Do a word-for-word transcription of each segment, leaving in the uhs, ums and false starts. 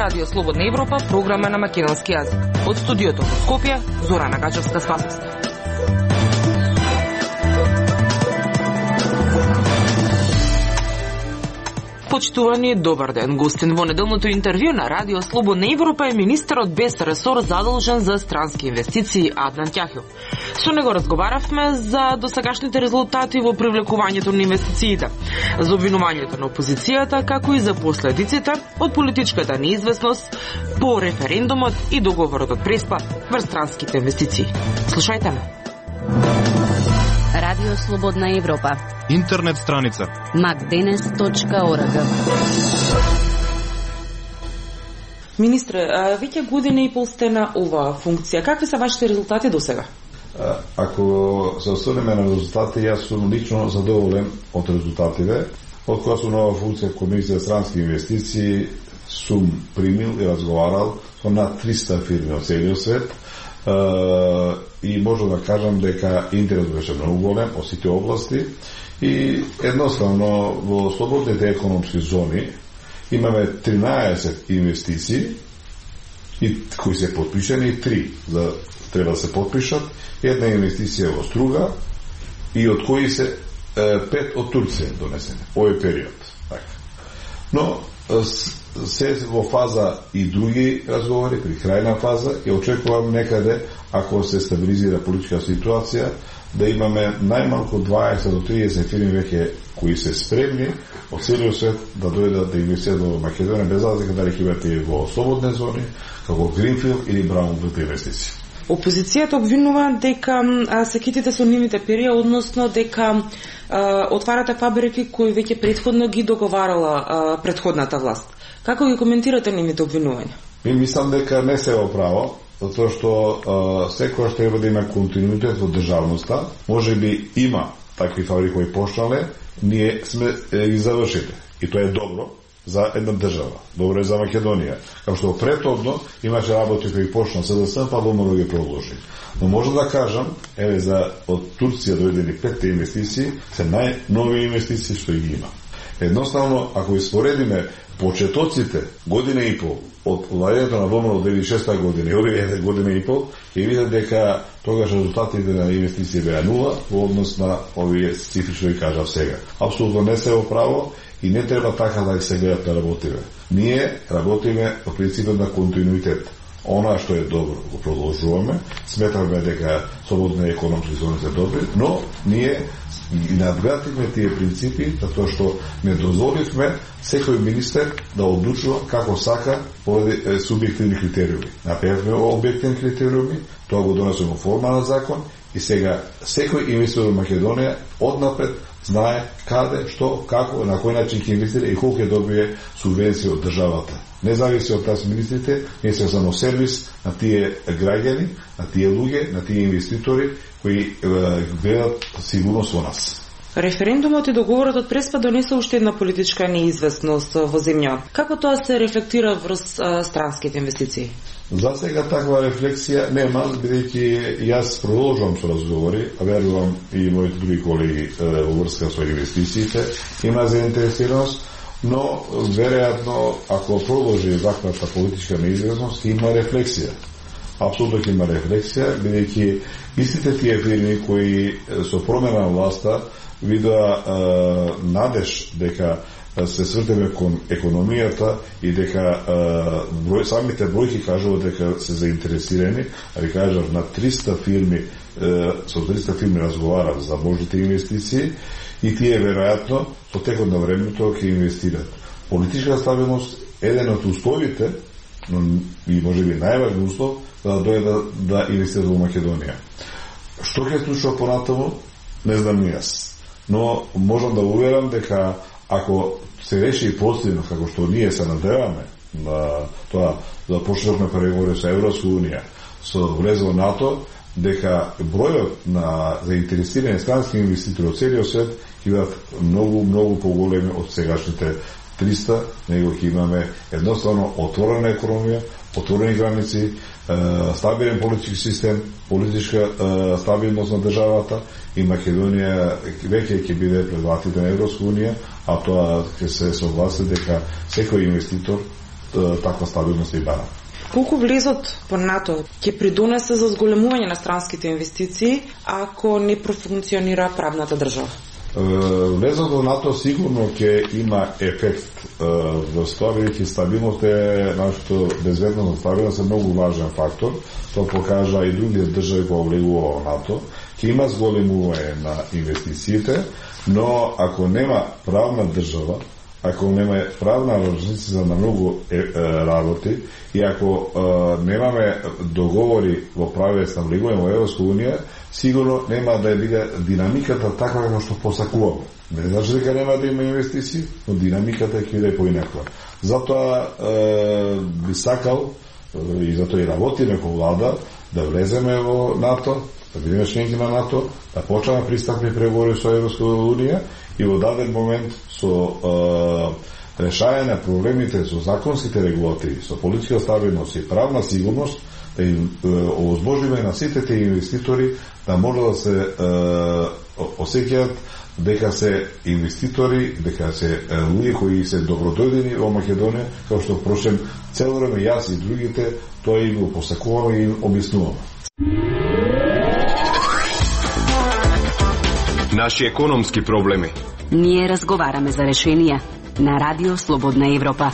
Радио Слободна Европа, програма на македонски јазик. Од студиото во Скопје, Зорана Гачевска-Спасовска. Почитувани, добар ден. Гостин во неделното интервју на Радио Слободна Европа е министерот без ресор задолжен за странски инвестиции Аднан Ќахил. Со него разговаравме за досегашните резултати во привлекувањето на инвестициите, за обвинувањето на опозицијата, како и за последиците од политичката неизвестност по референдумот и договорот од Преспа врз странските инвестиции. Слушајте ме. Радио Слободна Европа. Интернет страница макденес точка орг. Министре, веќе година и пол сте на оваа функција. Какви се вашите резултати до сега? Ако се осврнеме на резултати, јас сум лично задоволен од резултатите. Од кога сум на оваа функција Комисија за странски инвестиции, сум примил и разговарал со над триста фирми од целиот свет. Uh, и можам да кажам дека интерес беше многу голем од сите области и едноставно во слободните економски зони имаме тринаесет инвестиции и кои се подпишани, три за треба да се подпишат, една инвестиција во Струга и од кои се е, пет од Турција донесени овој период. Така. Но се во фаза и други разговори, при крајна фаза, и очекувам некаде, ако се стабилизира политичка ситуација, да имаме најмалку дваесет до триесет фирми веќе кои се спремни од целиот свет да дојдат да инвестират во Македонија, без разлика дали ќе бидат во слободни зони, како Гринфилд или Браунфилд инвестиции. Опозицијата обвинува дека а, се китите со нивните перија, односно дека а, отварате фабрики кои веќе претходно ги договарала а, претходната власт. Како ги коментирате нивните обвинувања? Ми мислам дека не се во право, затоа што секојаш треба да има континуитет во државноста. Може би има такви фабрики кои почнале, ние сме е, ги завршите. И тоа е добро за една држава. Добро е за Македонија. Како што претhodно имаше работи кои почна СДС, па домово ги продолжи. Но може да кажам, еве за од Турција дојдени петте инвестиции, се најнови инвестиции што ги има. Едноставно, ако испоредиме почетоците година и пол од владењето на Домово од две илјади и шеста година и овие година и пол, ќе видат дека тогаш резултатите на инвестиции беа нула во однос на овие цифри што ги кажав сега. Апсолутно не се во право и не треба така да се гледат да работиме. Ние работиме по принципот на континуитет. Она што е добро го продолжуваме, сметаме дека слободни економски зони се добри, но ние и надградивме тие принципи, затоа што не дозволивме секој министер да одлучува како сака поради субјективни критериуми. Направивме објективни критериуми, тоа го донесоме во форма на закон и сега секој инвеститор во Македонија однапред знае каде, што, како, на кој начин ќе инвестира и колку ќе добие субвенција од државата. Не зависи од таз министрите, ние сме само сервис на тие граѓани, на тие луѓе, на тие инвеститори кои гледат сигурност во нас. Референдумот и договорот од Преспа донесе уште една политичка неизвестност во земја. Како тоа се рефлектира врз странските инвестиции? За сега таква рефлексија нема, бидејќи јас продолжувам со разговори, а верувам и моите други колеги во врска со инвестициите, има заинтересираност, но веројатно ако продолжи ваквата политичка неизвестност, има рефлексија. Апсолутно ќе има рефлексија, бидејќи истите тие фирми кои со промена на власта видоа надеж дека се свртеме кон економијата и дека број, самите бројки кажуваат дека се заинтересирани, а ви кажав на триста фирми, со триста фирми разговарав за можните инвестиции и тие веројатно со текот на времето ќе инвестират. Политичка стабилност е еден од условите, но и можеби најважен услов да дојде да инвестира во Македонија. Што ќе случува понатаму, не знам ни јас. Но можам да уверам дека ако се реши позитивно, како што ние се надеваме на тоа да почнеме преговори со Европска унија, со влез во НАТО, дека бројот на заинтересирани странски инвеститори од целиот свет ќе бидат многу, многу поголеми од сегашните триста, него ќе имаме едноставно отворена економија, отворени граници, стабилен политички систем, политичка стабилност на државата и Македонија веќе ќе биде пред вратите на Европска унија, а тоа ќе се согласи дека секој инвеститор таква стабилност и бара. Колку влезот по НАТО ќе придонесе за зголемување на странските инвестиции ако не профункционира правната држава? Влезот во НАТО сигурно ќе има ефект во тоа, бидејќи стабилност е нашето безбедност, стабилност е многу важен фактор. Тоа покажа и други држави кои влегува во НАТО. Ќе има зголемување на инвестициите, но ако нема правна држава, ако нема правна организација на многу е, е, работи и ако е, немаме договори во правец на влегување во Европска унија, сигурно нема да биде динамиката таква како што посакуваме. Не значи дека нема да има инвестиции, но динамиката ќе биде поинаква. Затоа е, би сакал е, и затоа и работиме како влада да влеземе во НАТО, да бидеме членки на НАТО, да почнеме пристапни преговори со Европска унија и во даден момент со е, решање на проблемите со законските регулативи, со политичка стабилност и правна сигурност, да им овозможиме на сите тие инвеститори да може да се е, осеќаат дека се инвеститори, дека се луѓе кои се добродојдени во Македонија, како што впрочем цело време јас и другите тоа и го посакуваме и им објаснуваме. Наши економски проблеми. Ние разговараме за решенија на Радио Слободна Европа.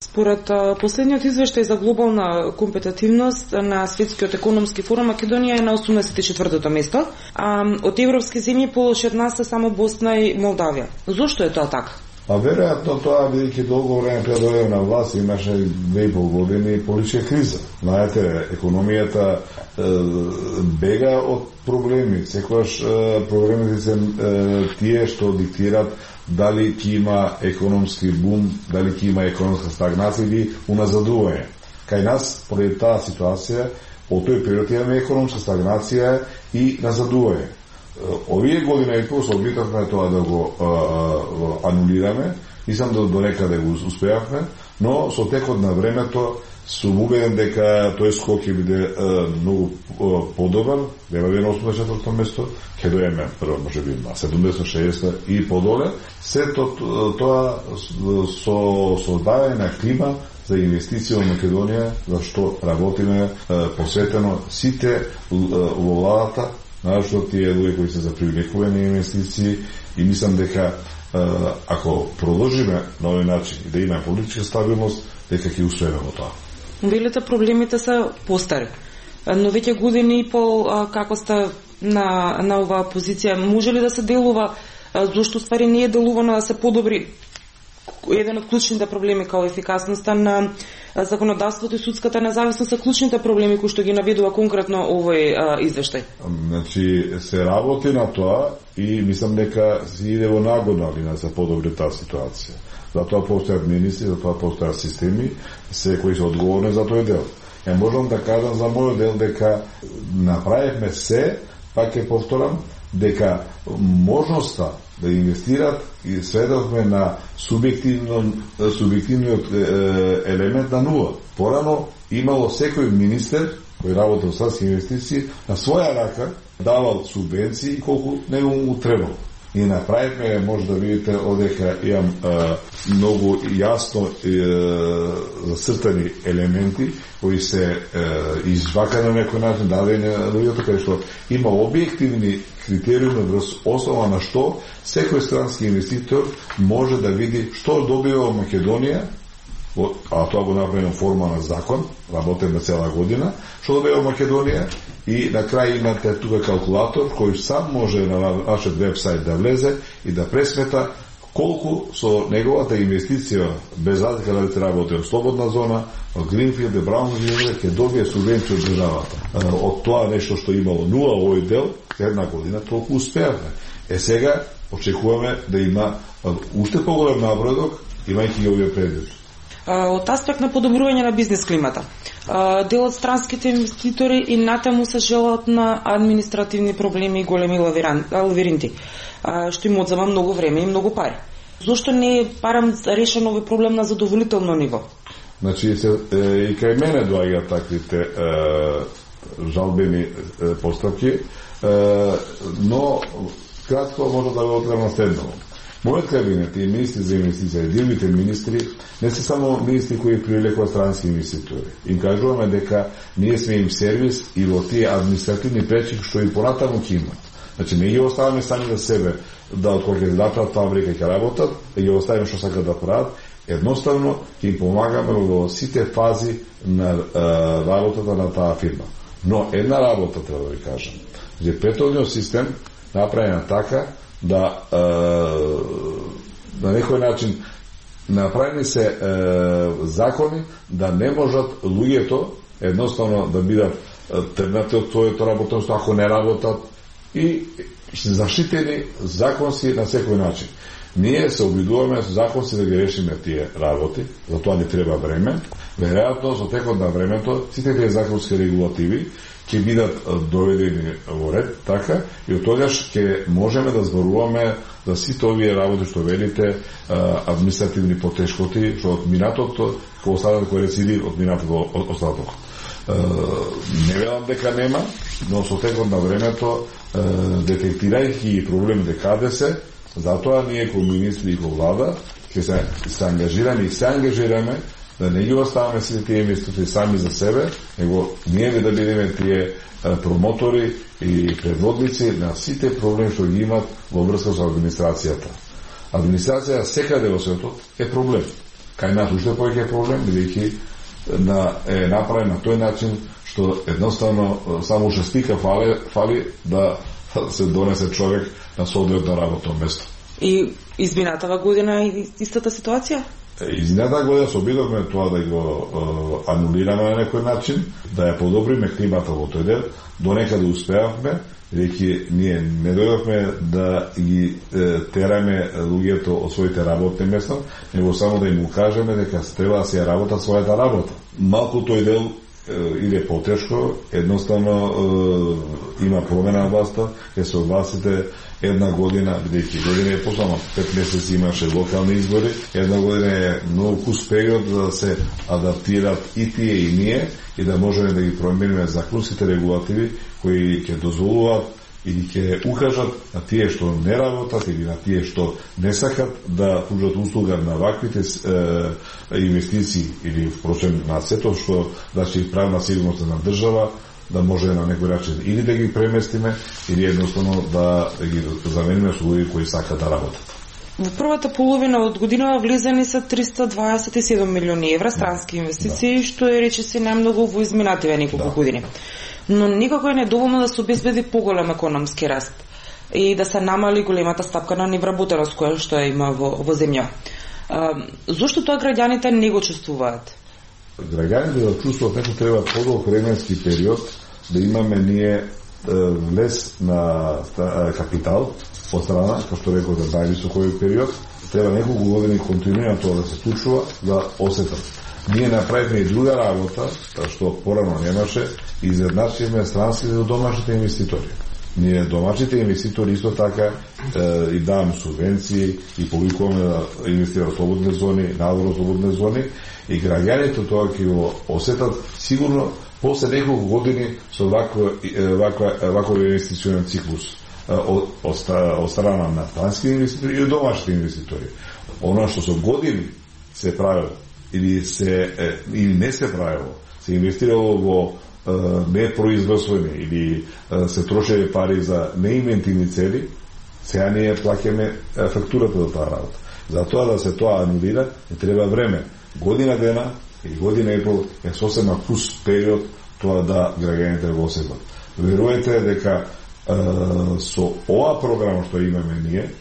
Според последниот извештај за глобална компетитивност на Светскиот економски форум, Македонија е на осумдесет и четвртото место, а од европски земји полош од нас се само Босна и Молдавија. Зошто е тоа така? А веројатно тоа, бидејќи долго време пред дојде на власт, имаше две и пол години политичка криза. Знаете, економијата е, бега од проблеми. Секогаш е, проблемите се е, тие што диктират дали ќе има економски бум, дали ќе има економска стагнација или уназадување. Кај нас, поради таа ситуација, од тој период имаме економска стагнација и назадување. Овие година и пол се обитавме тоа да го а, а, анулираме, мислам да до некаде го успеавме, но со текот на времето сум убеден дека тој скок ќе биде а, многу а, подобар, нема да е на осумдесет и четврто место, ќе доеме прво може би на седумдесет шеесет и подоле. Сето тоа со создавање на клима за инвестиција во Македонија, за што работиме а, посветено сите во владата, нашто тие луѓе кои се за привлекување на инвестиции, и мислам дека ако продолжиме на овој начин и да имаме политичка стабилност, дека ќе успееме во тоа. Велите проблемите се постари, но веќе години и пол како сте на, на оваа позиција, може ли да се делува, зошто ствари не е делувано да се подобри еден од клучните проблеми као ефикасноста на законодавството и судската независност се клучните проблеми кои што ги наведува конкретно овој а, извештај? Значи, се работи на тоа и мислам дека се иде во нагодна линија за подобри таа ситуација. Затоа постојат министри, затоа постојат системи, се кои се одговорни за тој дел. Ја можам да кажам за мојот дел дека направивме се, пак ќе повторам, дека можноста да инвестират и сведохме на субјективно, субјективниот елемент на нула. Порано имало секој министер кој работел со инвестиции на своја рака давал субвенции колку не му требало. И направивме, може да видите, одека имам е, многу јасно е, зацртани елементи кои се е, извакани на некој начин, дадени на луѓето, кај што има објективни критериуми врз основа на што секој странски инвеститор може да види што добива во Македонија, а тоа го направено форма на закон, работиме цела година, што добива во Македонија, и на крај имате тука калкулатор кој сам може на нашиот вебсайт да влезе и да пресмета колку со неговата инвестиција, без разлика дали се работи од слободна зона, од Гринфилд, Браунфилд, ќе добие субвенција од државата. Од тоа нешто што имало нула овој дел, една година толку успеавме. Е сега очекуваме да има уште поголем напредок, имајќи ги овие предвид. Од аспект на подобрување на бизнес климата, дел од странските инвеститори и натаму се желаат на административни проблеми и големи лавиринти, што им одзема многу време и многу пари. Зошто не е барем решен овој проблем на задоволително ниво? Значи, се, е, и кај мене доаѓаат таквите е, жалбени е, постапки, е, но кратко може да го открема следно. Мојот кабинет и министри за инвестиции, другите министри, не се само министри кои привлекуваат странски инвеститори. Им кажуваме дека ние сме им сервис и во тие административни пречки што и понатаму ќе имат. Значи, не ги оставаме сами за себе да од кога ќе датат фабрика ќе работат, да ги оставиме што сакат да прават, едноставно ќе им помагаме во сите фази на е, работата на таа фирма. Но една работа треба да ви кажам. Значи, претhodниот систем направен така да е, на некој начин направени се е, закони да не можат луѓето едноставно да бидат тргнати од своето работенство ако не работат и заштитени законски на секој начин. Ние се обидуваме со законски да ги решиме тие работи, за тоа ни треба време. Веројатно со текот на времето сите тие законски регулативи ќе бидат доведени во ред, така, и од тогаш ќе можеме да зборуваме за сите овие работи што велите, административни потешкоти, што од минатото, кој останат кој рецидив од минатото остаток. Не велам дека нема, но со текот на времето, детектирајќи проблемите каде се, затоа ние кој министри и кој влада ќе се, се ангажираме и се ангажираме да не ги оставаме сите тие инвеститори сами за себе, него ние да бидеме тие промотори и предводници на сите проблеми што ги имат во врска со администрацијата. Администрација секаде во светот е проблем. Кај нас уште повеќе е проблем, бидејќи на, е направен на тој начин што едноставно само уште стика фали, фали да се донесе човек на соодветно работно место. И изминатава година и истата ситуација? Изминатава година се обидовме тоа да го е, анулираме на некој начин, да ја подобриме климата во тој дел, до некаде успеавме, бидејќи ние не дојдовме да ги е, тераме луѓето од своите работни места, него само да им укажеме дека треба да се ја работат својата работа. Малку тој дел иде потешко, едноставно е, има промена на власта, ќе се огласите една година, бидејќи година е посама, пет месеци имаше локални избори, една година е многу кус период да се адаптират и тие и ние и да можеме да ги промениме законските регулативи кои ќе дозволуваат или ќе укажат на тие што не работат или на тие што не сакат да пруžат услуга на ваквите е, инвестиции или впрочем на сето што значи правна сигурност на држава, да може на некој начин или да ги преместиме или едноставно да ги замениме со луѓе кои сакат да работат. Во првата половина од годинава влезени се триста дваесет и седум милиони евра странски инвестиции, да. Што е речиси најмногу во изминативе неколку да. години. Но никако е недоволно да се обезбеди поголем економски раст и да се намали големата стапка на невработеност која што има во, во земја. А, зошто тоа граѓаните не го чувствуваат? Граѓаните да чувствуваат дека треба подолг временски период да имаме ние влез на капитал од страна, како што реков за највисокој период, треба неколку години континуирано тоа да се случува, да осетат. Ние направивме и друга работа, што порано немаше, и изедначивме странските и домашните инвеститори. Ние домашните инвеститори исто така е, и даваме субвенции и повикуваме да инвестират слободни зони, надвор слободни зони и граѓаните тоа ќе го осетат сигурно после неколку години со ваква ваква ваков инвестиционен циклус од од страна на странски инвеститори и домашните инвеститори. Она што со години се правило или се или не се правило, се инвестирало во непроизводствени или се трошеле пари за неинвентивни цели, сега ние плаќаме фактурата за таа работа. Затоа да се тоа анулира, не треба време. Година дена и година и пол е сосема кус период тоа да граѓаните го осетат. Верувате дека е, со ова програма што имаме ние,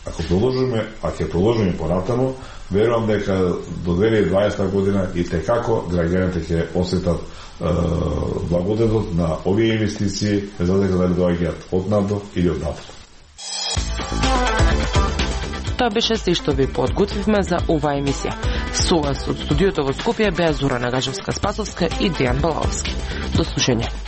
ако продолжиме, а ќе продолжиме понатаму, верувам дека до две илјади и дваесета година и текако граѓаните ќе осетат благодетот на овие инвестиции, без разлика дали доаѓаат од надвор или од надвор. Тоа беше се што ви подготвивме за оваа емисија. Со вас од студиото во Скопје беа Зора Нагажевска-Спасовска и Дејан Балаловски. До слушање.